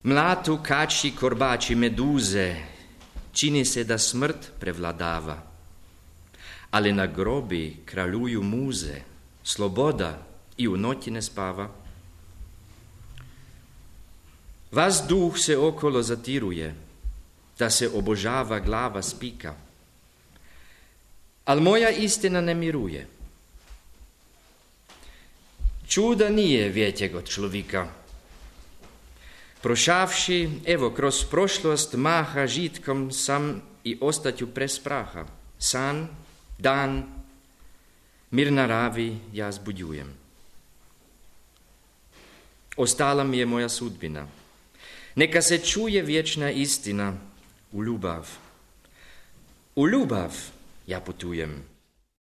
Mlatu, kači, korbači, meduze, čini se da smrt prevladava, ali na grobi kraljuju muze, sloboda i u noći ne spava. Vas duh se okolo zatiruje, da se obožava glava spika, al moja istina ne miruje. Čuda nije vjetjeg od človika. Prošavši, evo, kroz prošlost maha žitkom sam i ostatju prez praha. San, dan, mir naravi ja zbudjujem. Ostala mi je moja sudbina. Neka se čuje vječna istina u ljubav. U ljubav ja putujem.